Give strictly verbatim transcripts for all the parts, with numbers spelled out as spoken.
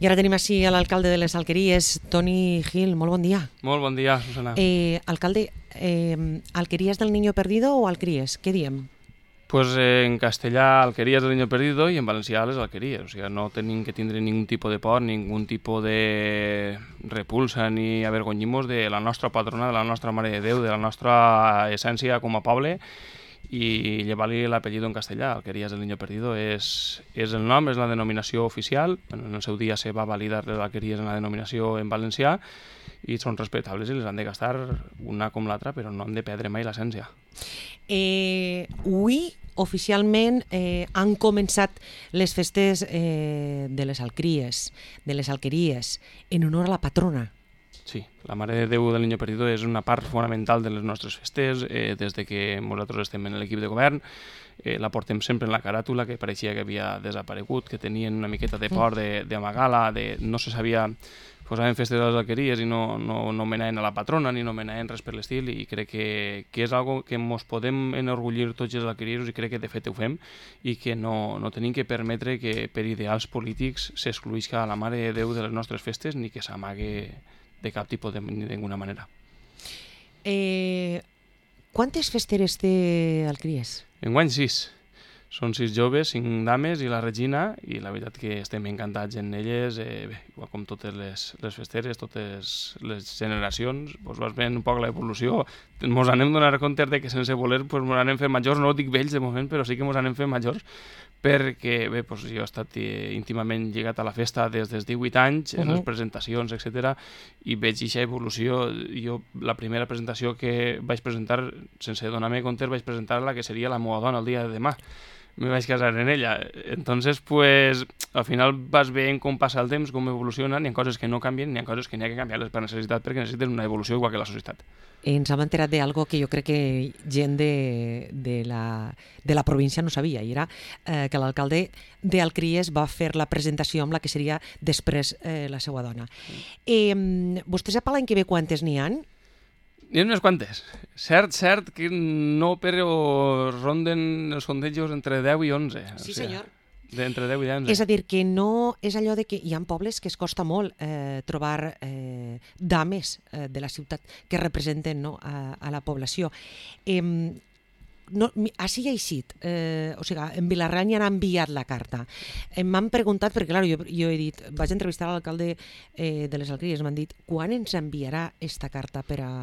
I ara tenim així a l'alcalde de les Alqueries, Toni Gil. Molt bon dia. Molt bon dia, Susana. Eh, alcalde, eh, Alqueries del Niño Perdido o Alqueries? Què diem? Pues eh, en castellà Alqueries del Niño Perdido i en valencià les Alqueries. O sigui, no tenim que tindre ningun tipus de por, ningun tipus de repulsa ni avergonyimos de la nostra patrona, de la nostra Mare de Déu, de la nostra essència com a poble, i llevar-li l'apellido en castellà. Alqueries del Niño Perdido és, és el nom, és la denominació oficial. En el seu dia se va validar les Alqueries en la denominació en valencià i són respectables i les han de gastar una com l'altra, però no han de perdre mai l'essència. Eh, avui, oficialment, eh, han començat les festes eh, de les Alqueries, de les Alqueries, en honor a la patrona. Sí, la Mare de Déu del Niño Perdido és una part fonamental de les nostres festes. Eh, des de que nosaltres estem en l'equip de govern, eh, la portem sempre en la caràtula, que pareixia que havia desaparegut, que tenien una miqueta de por d'amagar-la, de, de, no se sabia... Posaven festes a les Alqueries i no, no, no menaven a la patrona ni no menaven res per l'estil, i crec que, que és algo que ens podem enorgullir tots els alquerieros, i crec que de fet ho fem, i que no, no tenim que permetre que per ideals polítics s'excluïsca la Mare de Déu de les nostres festes ni que s'amague de cap tipus de ninguna manera. Eh, quantes festeres té Alqueries? Enguany sis. Són sis joves, cinc dames i la Regina, i la veritat que estem encantats en elles. Eh, bé, igual com totes les, les festeres, totes les generacions, doncs vas veient un poc l'evolució. Ens anem donant compte de que sense voler ens doncs, anem fent majors, no dic vells de moment, però sí que ens anem fent majors, perquè bé, doncs, jo he estat eh, íntimament lligat a la festa des dels divuit anys, en uh -huh. les presentacions, etcètera, i veig aquesta evolució. Jo, la primera presentació que vaig presentar, sense donar-me compte, vaig presentar la que seria la meva dona el dia de demà. Me vaig casar en ella. Entonces, pues, al final vas veient com passa el temps, com evoluciona, n'hi ha coses que no canvien, n'hi ha coses que n'hi ha que canviar-les per necessitat, perquè necessiten una evolució igual que la societat. Ens hem enterat d'algo que jo crec que gent de, de, la, de la província no sabia, i era eh, que l'alcalde d'Alqueries va fer la presentació amb la que seria després eh, la seva dona. Eh, vostè sap l'any que ve quantes n'hi ha? N'hi ha unes quantes. Cert, cert que no, però ronden els sondejos entre deu i onze. Sí, senyor. D'entre deu i onze. És a dir, que no és allò de que hi ha pobles que es costa molt eh, trobar eh, dames eh, de la ciutat que representen, no, a, a la població. Eh, no, així ha eixit, eh, o sigui, en Vilarrany ja han enviat la carta. Eh, m'han preguntat, perquè clar, jo, jo he dit, vaig entrevistar l'alcalde eh, de les Alqueries, m'han dit, quan ens enviarà esta carta per a...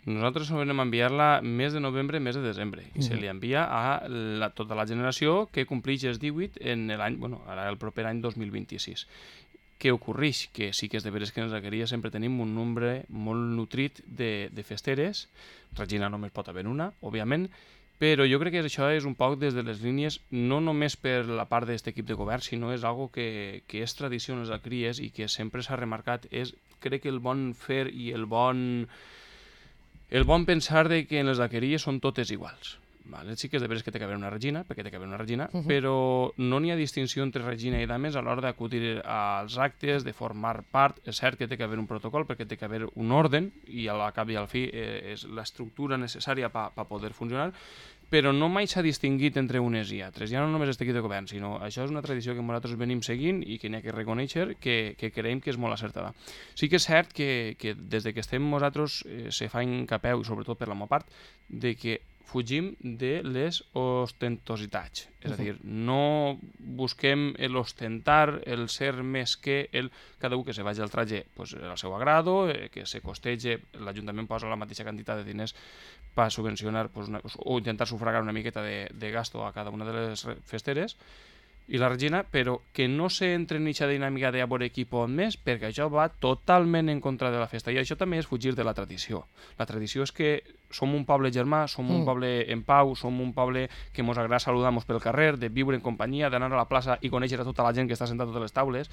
Nosaltres vam enviar-la mes de novembre, mes de desembre, i mm. se li envia a la, tota la generació que compleix els divuit en l'any, bueno, ara el proper any dos mil vint-i-sis. Què ocorreix? Que sí que és de veres que en les Alqueries sempre tenim un nombre molt nutrit de, de festeres. Regina només pot haver una, òbviament, però jo crec que això és un poc des de les línies, no només per la part d'aquest equip de govern, sinó és algo que, que és tradició en les Alqueries i que sempre s'ha remarcat. És, crec que el bon fer i el bon... El bon pensar de que en les Alqueries són totes iguals. Vale? Sí que és de veres que té que haver una regina, perquè té que haver una regina, uh -huh. però no n'hi ha distinció entre regina i dames a l'hora d'acudir als actes, de formar part. És cert que té que haver un protocol, perquè té que haver un orden, i al cap i al fi eh, és l'estructura necessària per pa poder funcionar, però no mai s'ha distingit entre unes i altres. Ja no només este equip de govern, sinó això és una tradició que nosaltres venim seguint i que n'hi ha que reconèixer que, que creiem que és molt acertada. Sí que és cert que, que des de que estem nosaltres eh, se fa encapeu, i sobretot per la meva part, de que fugim de les ostentositats. És a dir, no busquem l'ostentar, el ser més que el... Cada un que se vagi al traje pues, al seu agrado, eh, que se costege, l'Ajuntament posa la mateixa quantitat de diners per subvencionar pues, una, o intentar sufragar una miqueta de, de gasto a cada una de les festeres, i la Regina, però que no s'entre en aquesta dinàmica de a veure qui pot més, perquè això va totalment en contra de la festa, i això també és fugir de la tradició. La tradició és que som un poble germà, som un mm. poble en pau, som un poble que ens agrada saludar-nos pel carrer, de viure en companyia, d'anar a la plaça i conèixer a tota la gent que està sentada a totes les taules.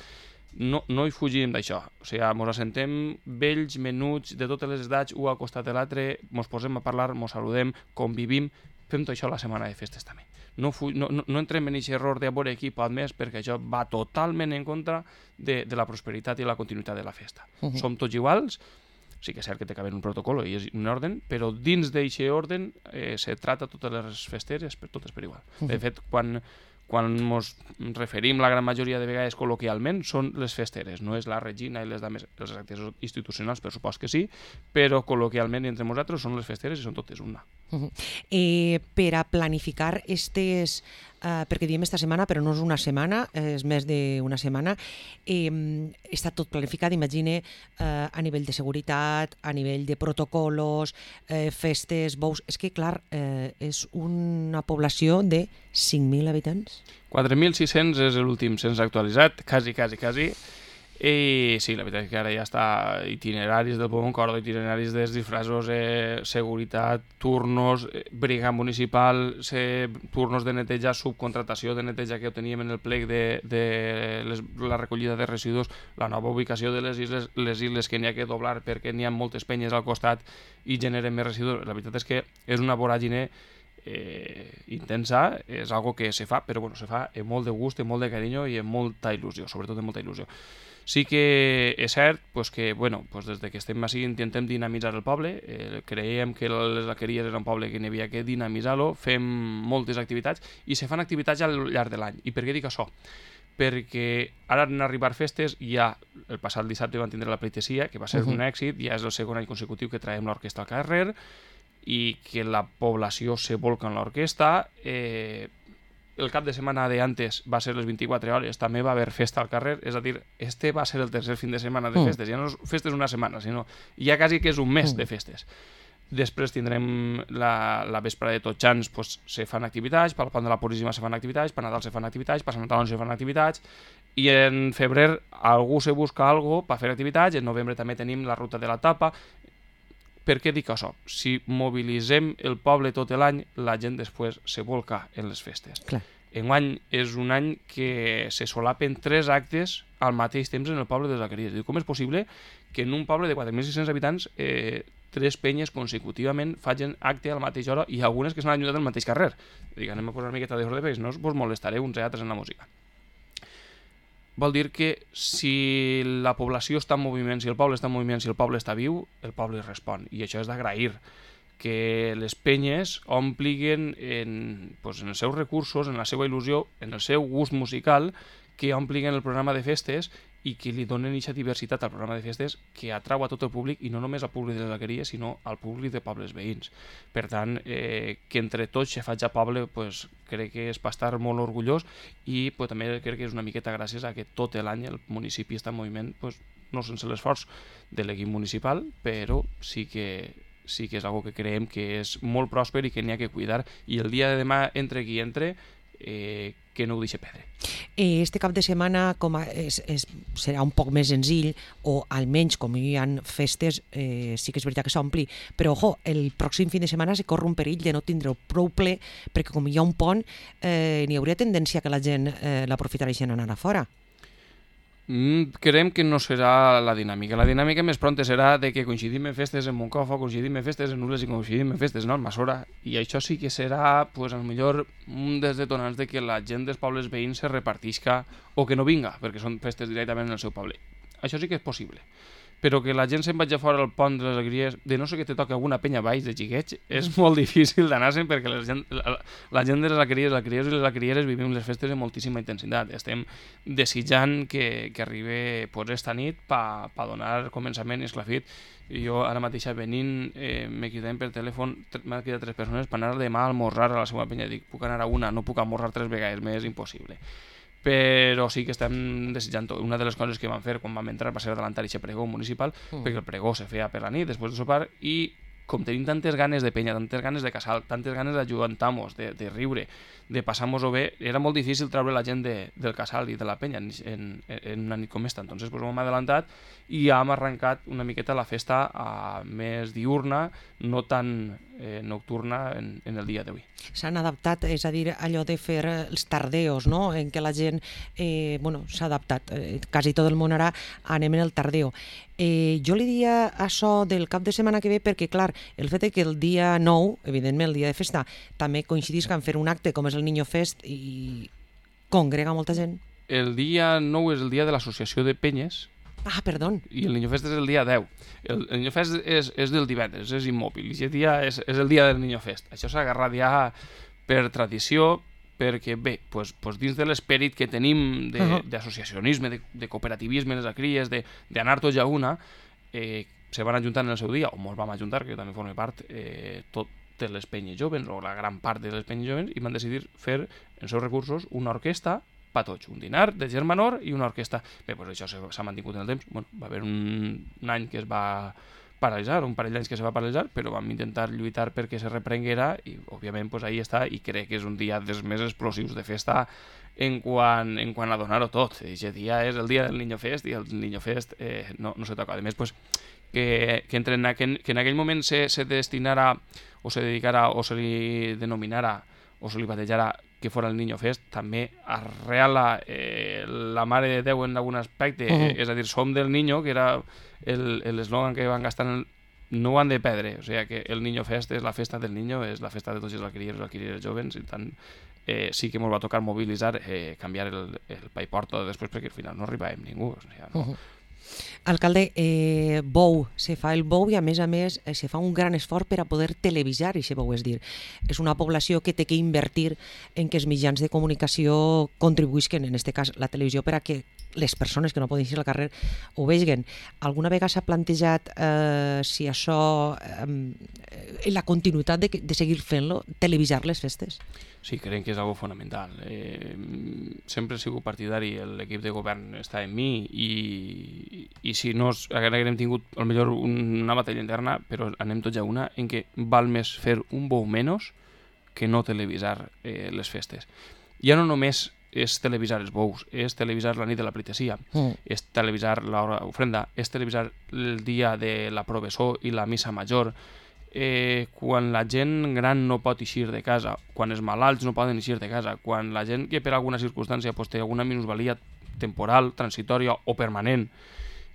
No, no hi fugim d'això. O sigui, ens assentem vells, menuts, de totes les edats, un al costat de l'altre, ens posem a parlar, ens saludem, convivim, fem tot això la setmana de festes també. No, fu no, no, no entrem en aquest error de veure qui pot més, perquè això va totalment en contra de, de la prosperitat i la continuïtat de la festa. Uh -huh. Som tots iguals, sí que és cert que té que haver un protocol i és un orden, però dins d'aquest orden eh, se trata totes les festeres per totes per igual. Uh -huh. De fet, quan, quan ens referim la gran majoria de vegades col·loquialment, són les festeres, no és la regina i les dames, els actes institucionals, per supòs que sí, però col·loquialment entre nosaltres són les festeres i són totes una. Uh -huh. eh, per a planificar estes, eh, perquè diem esta setmana, però no és una setmana, és més d'una setmana, eh, està tot planificat, imagine, eh, a nivell de seguretat, a nivell de protocolos, eh, festes, bous... És que, clar, eh, és una població de cinc mil habitants. quatre mil sis-cents és l'últim cens actualitzat, quasi, quasi, quasi. I sí, la veritat és que ara ja està itineraris del Poble Corda, itineraris dels disfraços, eh, seguretat, turnos, eh, brigada municipal, eh, turnos de neteja, subcontratació de neteja que ho teníem en el plec de, de les, la recollida de residus, la nova ubicació de les isles, les isles que n'hi ha que doblar perquè n'hi ha moltes penyes al costat i generen més residus. La veritat és que és una voràgine eh, intensa, és algo que se fa, però bueno, se fa amb molt de gust, amb molt de carinyo i amb molta il·lusió, sobretot amb molta il·lusió. Sí que és cert pues, que bueno, pues des de que estem així intentem dinamitzar el poble, eh, creiem que les Alqueries era un poble que n'hi havia que dinamitzar-lo, fem moltes activitats i se fan activitats al llarg de l'any. I per què dic això? Perquè ara han arribat festes, ja el passat dissabte van tindre la pleitesia, que va ser uh -huh. un èxit, ja és el segon any consecutiu que traiem l'orquestra al carrer i que la població se volca en l'orquestra. Eh, el cap de setmana d'antes va ser les vint-i-quatre hores, també va haver festa al carrer, és a dir, este va ser el tercer fin de setmana de festes, ja no és festes una setmana, sinó ja quasi que és un mes de festes. Després tindrem la, la vesprada de Tots Sants, pues, se fan activitats, pel Pont de la Puríssima se fan activitats, per Nadal se fan activitats, per Sant Antoni se fan activitats, i en febrer algú se busca algo per fer activitats, en novembre també tenim la ruta de la tapa. Per què dic això? Si mobilitzem el poble tot l'any, la gent després se volca en les festes. Clar. Enguany és un any que se solapen tres actes al mateix temps en el poble de les Alqueries. Com és possible que en un poble de quatre mil sis-cents habitants eh, tres penyes consecutivament facin acte a la mateixa hora i algunes que s'han ajuntat al mateix carrer? Dic, anem a posar una miqueta d'ordre perquè no us molestaré uns i altres en la música. Vol dir que si la població està en moviment, si el poble està en moviment, si el poble està viu, el poble respon. I això és d'agrair, que les penyes ompliguin en, pues, en els seus recursos, en la seva il·lusió, en el seu gust musical, que ompliguin el programa de festes i que li donen aquesta diversitat al programa de festes que atrau a tot el públic, i no només al públic de les Alqueries, sinó al públic de pobles veïns. Per tant, eh, que entre tots se faig a poble, pues, crec que és per estar molt orgullós i pues, també crec que és una miqueta gràcies a que tot l'any el municipi està en moviment, pues, no sense l'esforç de l'equip municipal, però sí que, sí que és algo que creiem que és molt pròsper i que n'hi ha que cuidar, i el dia de demà, entre qui entre, eh, que no ho deixi perdre. Este cap de setmana com a, és, és, serà un poc més senzill, o almenys com hi ha festes, eh, sí que és veritat que s'ompli, però ojo, el pròxim fin de setmana se corre un perill de no tindre prou ple, perquè com hi ha un pont, eh, n'hi hauria tendència que la gent eh, l'aprofitareixen a anar a fora. Mm, creiem que no serà la dinàmica. La dinàmica més pronta serà de que coincidim en festes en Moncofa, coincidim en festes en Nules i coincidim en festes en Almassora, i això sí que serà, pues, a lo millor un dels detonants de que la gent dels pobles veïns se repartisca o que no vinga, perquè són festes directament en el seu poble. Això sí que és possible. Però que la gent se'n vagi a fora al pont de les Alqueries, de no sé que te toca alguna penya baix de xiquets, és molt difícil d'anar-se'n, perquè la gent, la, la gent de les Alqueries, les Alqueries i les Alquerieres vivim les festes amb moltíssima intensitat. Estem desitjant que, que arribi pues, esta nit per pa donar començament i esclafit. Jo ara mateix venint eh, m'he cridat per telèfon, m'he cridat tres persones per anar demà a almorzar a la seva penya. Dic, puc anar a una, no puc almorzar tres vegades, m'és impossible. Però sí que estem desitjant tot. Una de les coses que vam fer quan vam entrar va ser adelantar aquest pregó municipal, mm. perquè el pregó se feia per la nit, després de sopar, i com tenim tantes ganes de penya, tantes ganes de casal, tantes ganes d'ajudantar-nos, de, de riure, de passar-nos-ho bé, era molt difícil treure la gent de, del casal i de la penya en, en, en una nit com esta. Entonces pues, hem adelantat i hem arrencat una miqueta la festa a més diurna, no tan eh, nocturna en, en el dia d'avui. S'han adaptat, és a dir, allò de fer els tardeos, no?, en què la gent eh, bueno, s'ha adaptat. Eh, quasi tot el món ara anem en el tardeo. Eh, jo li diria això del cap de setmana que ve perquè, clar, el fet que el dia nou, evidentment el dia de festa, també coincidís que en fer un acte com és el Niño Fest i congrega molta gent. El dia nou és el dia de l'associació de penyes. Ah, perdó. I el Niño Fest és el dia deu. El, el Niño Fest és, és del divendres, és immòbil. I aquest dia és, és el dia del Niño Fest. Això s'ha agarrat ja per tradició, perquè bé, pues, pues dins de l'esperit que tenim d'associacionisme, de, de cooperativisme, les acries, d'anar tots a una, eh, se van ajuntar en el seu dia, o molts vam ajuntar, que jo també formo part, eh, totes les penyes joves, o la gran part de les penyes joves, i van decidir fer, en seus recursos, una orquestra per tots, un dinar de gent menor i una orquestra. Bé, doncs això s'ha mantingut en el temps. Bueno, va haver un, un any que es va paralitzar, un parell d'anys que se va paralitzar, però vam intentar lluitar perquè se reprenguera i, òbviament, pues, ahí està, i crec que és un dia dels més explosius de festa en quant, en quant a donar-ho tot. Aquest dia és el dia del Niño Fest i el Niño Fest eh, no, no se toca. A més, pues, que, que, entre, que, que en aquell moment se, se destinara o se dedicara o se li denominara o se li batejara que fora el Niño Fest, també arreala eh, la Mare de Déu en algun aspecte, uh -huh. és a dir, som del Niño, que era l'eslògan que van gastar, en el, no ho han de perdre, o sigui que el Niño Fest és la festa del Niño, és la festa de tots els alquiriers i alquirieres jovens, i tant eh, sí que ens va tocar mobilitzar, eh, canviar el, el pa i porta després, perquè al final no arribàvem ningú. O sigui, no. Uh -huh. Alcalde, eh, bou, se fa el bou i a més a més eh, se fa un gran esforç per a poder televisar aquest bou, és dir, és una població que té que invertir en que els mitjans de comunicació contribuïsquen, en aquest cas la televisió, per a que les persones que no poden ir al carrer ho vegin. Alguna vegada s'ha plantejat eh, si això, eh, la continuïtat de, de seguir fent-lo, televisar les festes? Sí, crec que és algo fonamental. Eh, sempre he sigut partidari, l'equip de govern està en mi i, i si no haguem tingut potser una batalla interna, però anem tots a una, en què val més fer un bou menys que no televisar eh, les festes. Ja no només és televisar els bous, és televisar la nit de la pleitesia, mm. és televisar l'ofrenda, és televisar el dia de la provessó i la missa major, Eh, quan la gent gran no pot eixir de casa, quan els malalts no poden eixir de casa, quan la gent que per alguna circumstància pues, té alguna minusvalia temporal, transitòria o permanent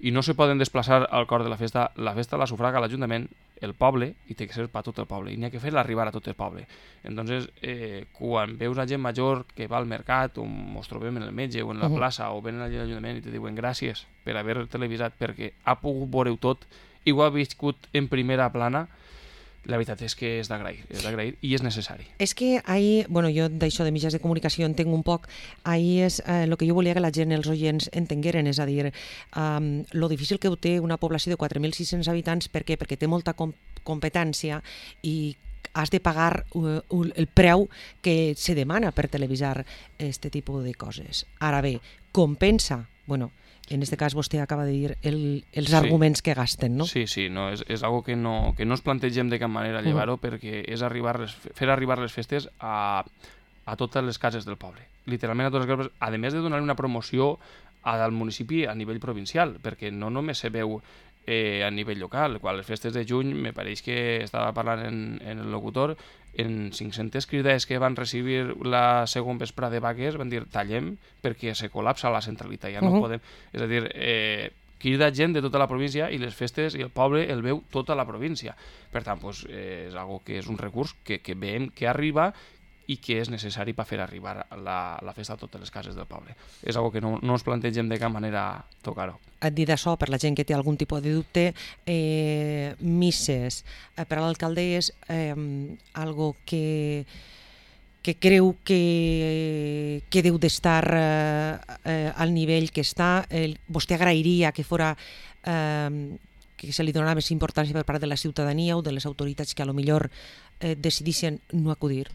i no se poden desplaçar al cor de la festa, la festa la sufraga l'Ajuntament, el poble, i té que ser per tot el poble, i n'hi ha que fer-la arribar a tot el poble. Entonces, eh, quan veus a gent major que va al mercat, o ens trobem en el metge o en la uh -huh. plaça, o venen allà a l'Ajuntament i te diuen gràcies per haver televisat, perquè ha pogut veure tot i ho ha viscut en primera plana, la veritat és que és d'agrair, és d'agrair i és necessari. És que ahir, bueno, jo d'això de mitjans de comunicació entenc un poc, ahir és el eh, que jo volia que la gent, els oients, entengueren, és a dir, um, lo difícil que ho té una població de quatre mil sis-cents habitants, per què? Perquè té molta com competència i has de pagar uh, el preu que se demana per televisar aquest tipus de coses. Ara bé, compensa, bueno, en aquest cas vostè acaba de dir el, els sí. arguments que gasten, no? Sí, sí, no, és, és algo que no, que no ens plantegem de cap manera llevar-ho, uh -huh. perquè és arribar les, fer arribar les festes a, a totes les cases del poble. Literalment a totes les cases, a més de donar una promoció al municipi a nivell provincial, perquè no només se veu eh, a nivell local. Quan les festes de juny, me pareix que estava parlant en, en el locutor, en cinc-centes cridades que van recibir la segon vesprada de vagues van dir tallem perquè se col·lapsa la centralitat, ja no uh -huh. podem... És a dir, eh, crida gent de tota la província i les festes i el poble el veu tota la província. Per tant, pues, eh, és algo que és un recurs que, que veiem que arriba i que és necessari per fer arribar la, la festa a totes les cases del poble. És algo que no, no ens plantegem de cap manera tocar-ho. Et dit això, per la gent que té algun tipus de dubte, eh, misses, eh, per a l'alcalde és eh, algo que, que creu que, que deu d'estar eh, eh, al nivell que està. Eh, vostè agrairia que fora... Eh, que se li donarà més importància per part de la ciutadania o de les autoritats que a lo millor eh, decidissin no acudir?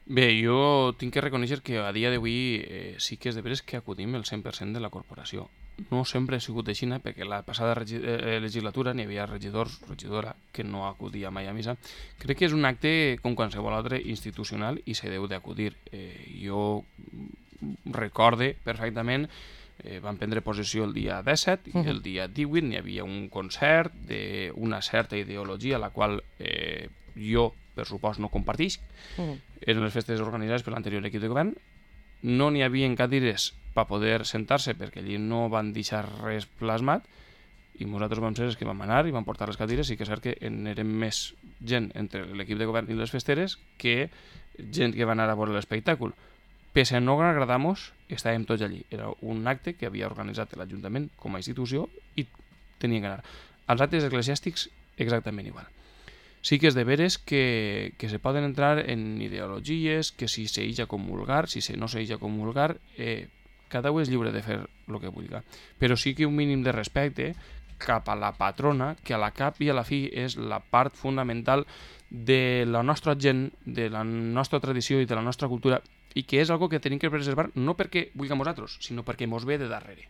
Bé, jo tinc que reconèixer que a dia d'avui eh, sí que és de veres que acudim el cent per cent de la corporació. No sempre ha sigut així, perquè la passada eh, legislatura n'hi havia regidors, regidora, que no acudia mai a missa. Crec que és un acte com qualsevol altre institucional i se deu d'acudir. Eh, jo recorde perfectament, eh, vam prendre possessió el dia disset i uh -huh. el dia divuit n'hi havia un concert d'una certa ideologia, la qual eh, jo, per supost, no compartisc. Uh-huh. Eren les festes organitzades per l'anterior equip de govern. No n'hi havia cadires per poder sentar-se perquè allí no van deixar res plasmat i nosaltres vam ser els que vam anar i vam portar les cadires i que és cert que en érem més gent entre l'equip de govern i les festeres que gent que va anar a veure l'espectacle. Pese a no agradar-nos, estàvem tots allí. Era un acte que havia organitzat l'Ajuntament com a institució i tenien que anar. Els actes eclesiàstics exactament igual. sí que és de veres que, que se poden entrar en ideologies, que si se eix a comulgar, si se no se eix a comulgar, eh, cada un és lliure de fer el que vulgui. Però sí que un mínim de respecte cap a la patrona, que a la cap i a la fi és la part fonamental de la nostra gent, de la nostra tradició i de la nostra cultura, i que és algo que tenim que preservar no perquè vulguem nosaltres, sinó perquè mos ve de darrere.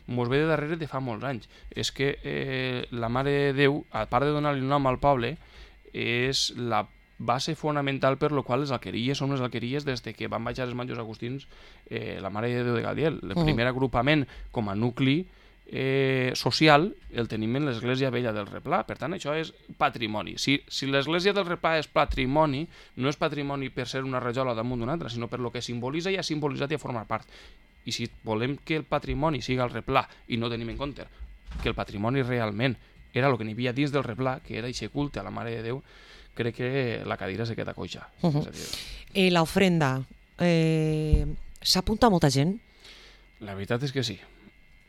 Mos ve de darrere de fa molts anys. És que eh, la Mare de Déu, a part de donar-li un nom al poble, és la base fonamental per la qual les alqueries són les alqueries des que van baixar els monjos agustins eh, la Mare de Déu de Gadiel. El Uh-huh. primer agrupament com a nucli eh, social el tenim en l'Església Vella del Replà. Per tant, això és patrimoni. Si, si l'Església del Replà és patrimoni, no és patrimoni per ser una rajola damunt d'una altra, sinó per lo que simbolitza i ha simbolitzat i ha format part. I si volem que el patrimoni siga el Replà i no tenim en compte que el patrimoni realment era el que n'hi havia dins del Replà, que era aquest culte a la Mare de Déu, crec que la cadira se queda coixa. Uh-huh. És a dir, Eh, la ofrenda, eh, s'apunta molta gent? la veritat és que sí.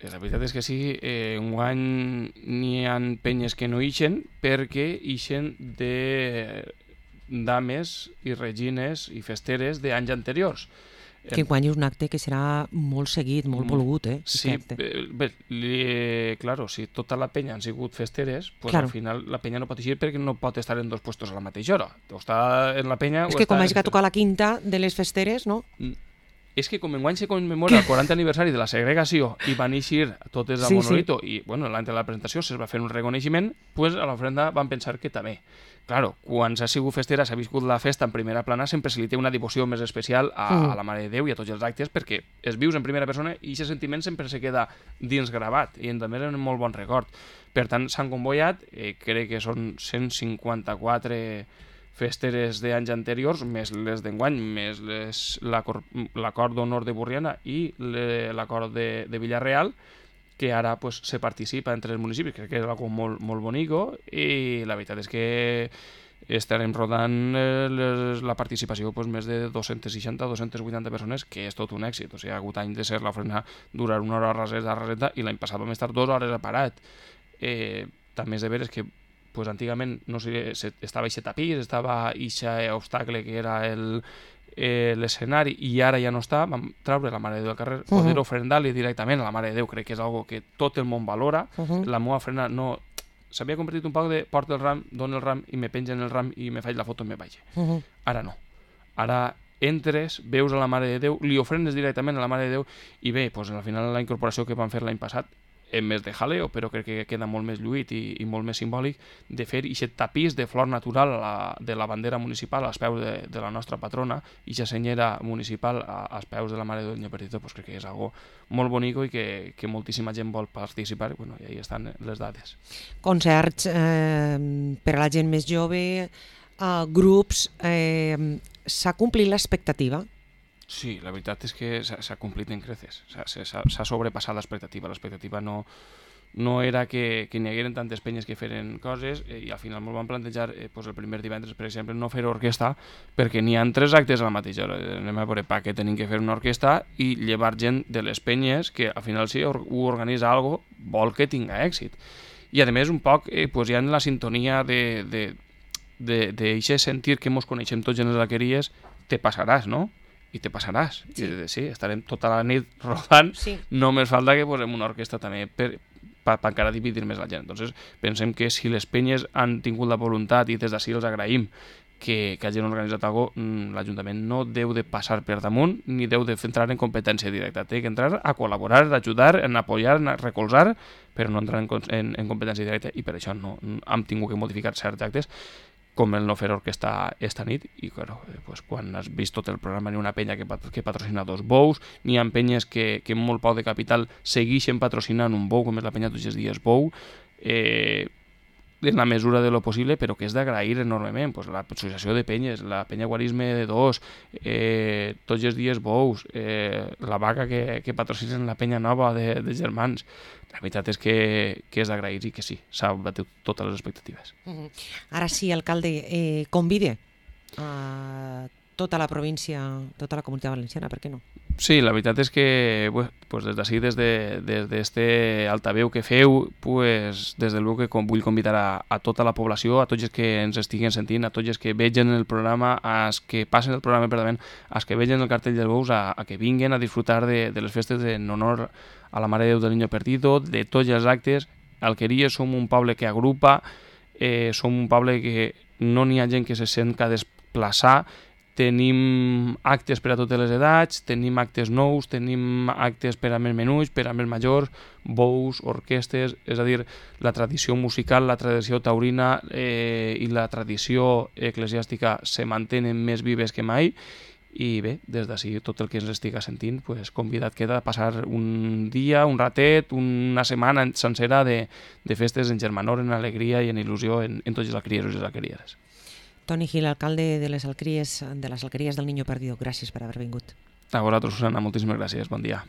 La veritat és que sí, eh, enguany n'hi ha penyes que no ixen perquè ixen de dames i regines i festeres d'anys anteriors. Que enguany és un acte que serà molt seguit, molt volgut, eh? Sí, aquest acte. eh, bé, li, claro, si tota la penya han sigut festeres, pues Claro. al final la penya no pot eixir perquè no pot estar en dos puestos a la mateixa hora. O està en la penya... És o que com està... hagi que tocar la quinta de les festeres, no? És que com enguany se commemora el quaranta aniversari de la segregació i van eixir totes a Sí, Monolito i, bueno, l'any de la presentació se'ls va fer un reconeixement, pues a l'ofrenda van pensar que també. Claro, quan s'ha sigut festera, s'ha viscut la festa en primera plana, sempre se li té una devoció més especial a, Mm. a la Mare de Déu i a tots els actes, perquè es vius en primera persona i aquest sentiment sempre se queda dins gravat i també és un molt bon record. Per tant, s'han convoiat, eh, crec que són cent cinquanta-quatre festeres d'anys anteriors, més les d'enguany, més les- l'acor- l'acord d'honor de Borriana i le- l'acord de, de Villarreal, que ara pues, se participa entre els municipis, crec que és algo molt, molt bonico, i la veritat és que estarem rodant eh, les, la participació pues, més de dos-cents seixanta a dos-cents vuitanta persones, que és tot un èxit. O sigui, ha hagut any de ser l'ofrena durar una hora a raseta, a raseta, i l'any passat vam estar dues hores a parat. Eh, també és de veres que pues, antigament no sé, se, estava aquest tapís, estava aquest obstacle que era el eh, l'escenari, i ara ja no està, vam treure la Mare de Déu del carrer, poder Uh-huh. ofrendar-li directament a la Mare de Déu, crec que és algo que tot el món valora. Uh-huh. La meva ofrena no... S'havia convertit un poc de porta el ram, dono el ram i me pengen el ram i me faig la foto i me vaig. Uh-huh. Ara no. Ara entres, veus a la Mare de Déu, li ofrenes directament a la Mare de Déu i bé, doncs, al final la incorporació que van fer l'any passat en més de jaleo, però crec que queda molt més lluït i, i molt més simbòlic de fer aquest tapís de flor natural a la, de la bandera municipal als peus de, de la nostra patrona i aquesta senyera municipal a, als peus de la Mare de Déu Perdito, pues crec que és algo molt bonico i que, que moltíssima gent vol participar, bueno, i ahí estan les dades. Concerts eh, per a la gent més jove, eh, grups... Eh, s'ha complit l'expectativa? Sí, la veritat és que s'ha complit en creces, s'ha sobrepassat l'expectativa. L'expectativa no, no era que, que n'hi hagueren tantes penyes que feren coses eh, i al final ens van plantejar eh, pues el primer divendres, per exemple, no fer orquestra perquè n'hi ha tres actes a la mateixa hora. Anem a veure pa què tenim que fer una orquestra i llevar gent de les penyes que al final si ho organitza algo vol que tinga èxit. I a més un poc eh, pues, hi ha la sintonia de, de, de, de, de sentir que mos coneixem tots en les alqueries, te passaràs, no? I te passaràs. Sí. I sí, estarem tota la nit rodant, sí. Només falta que posem una orquestra també per, per, per encara dividir més la gent. Entonces, pensem que si les penyes han tingut la voluntat i des d'ací els agraïm que, que hagin organitzat alguna cosa, l'Ajuntament no deu de passar per damunt ni deu de entrar en competència directa. Té que entrar a col·laborar, a ajudar, a apoyar, a recolzar, però no entrar en, en, en competència directa i per això no, hem tingut que modificar certs actes com el no fer orquestra esta nit i claro, pues, quan has vist tot el programa n'hi ha una penya que, pat que patrocina dos bous, n'hi ha penyes que, que amb molt poc de capital segueixen patrocinant un bou com és la penya tots els dies bou, eh, en la mesura de lo possible, però que és d'agrair enormement, pues, l'associació de penyes, la penya guarisme de dos, eh, tots els dies bous, eh, la vaca que, que patrocinen la penya nova de, de germans. La veritat és que, que és d'agrair i que sí, s'ha batut totes les expectatives. Uh-huh. Ara sí, alcalde, eh, convide a tota la província, tota la comunitat valenciana, per què no? Sí, la veritat és que pues, pues des d'ací, des d'este de, altaveu que feu, pues, des del veu que com, vull convidar a, a tota la població, a tots els que ens estiguen sentint, a tots els que vegen el programa, als que passen el programa per davant, als que vegen el cartell dels bous, a, a que vinguen a disfrutar de, de les festes en honor a la Mare de Déu del Niño Perdido, de tots els actes. Alqueries som un poble que agrupa, eh, som un poble que no n'hi ha gent que se sent que desplaçar. Tenim actes per a totes les edats, tenim actes nous, tenim actes per a més menuts, per a més majors, bous, orquestes, és a dir, la tradició musical, la tradició taurina eh, i la tradició eclesiàstica se mantenen més vives que mai. I bé, des d'ací tot el que ens estiga sentint, pues, convidat queda a passar un dia, un ratet, una setmana sencera de, de festes en germanor, en alegria i en il·lusió en, en tots els alquerieros i les alquerieres. Toni Gil, alcalde de les alqueries, de les alqueries del Niño Perdido, gràcies per haver vingut. A vosaltres, Susana, moltíssimes gràcies, bon dia.